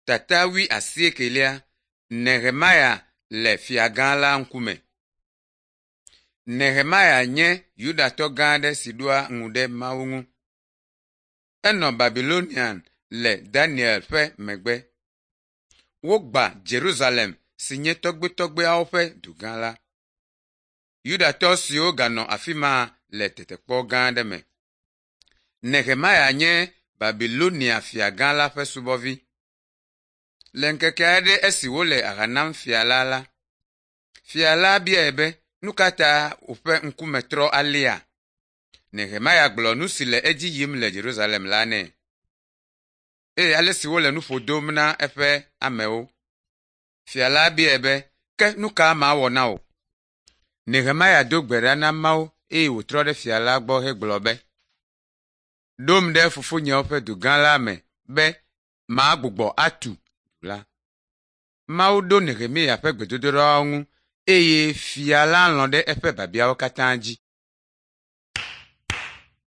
Tata wuiasiekelia Nehemia le fiagã la ŋkume. Nehemia nye Yudatɔ gã aɖe si ɖoa ŋu ɖe Mawu ŋu. Enɔ Babilonia le Daniel ƒe megbe. Wogba Yerusalem si nye tɔgbuitɔgbuiawo ƒe dugã la. Yudatɔ siwo ganɔ afi ma le tetekpɔ gã aɖe me. Nehemia nye Babilonia fiagã la ƒe subɔvi. Le ŋkeke aɖe esi wole aha nam fia la la, fia la biae be, “Nu ka ta wòƒe ŋkume trɔ alea?” Nehemia gblɔ nu si le edzi yim le Yerusalem la nɛ eye ale si wole nu ƒo dom na eƒe amewo. Fia la biae be, “Ke nu ka mawɔ na wò?” Nehemia do gbe ɖa na Mawu eye wòtrɔ ɖe fia la gbɔ hegblɔ be, “Ɖom ɖe fofonyewo ƒe dugã la me be magbugbɔ atu du la.” Mawu ɖo Nehemia ƒe gbedodoɖawo ŋu eye fia la lɔ̃ ɖe eƒe biabiawo katã dzi.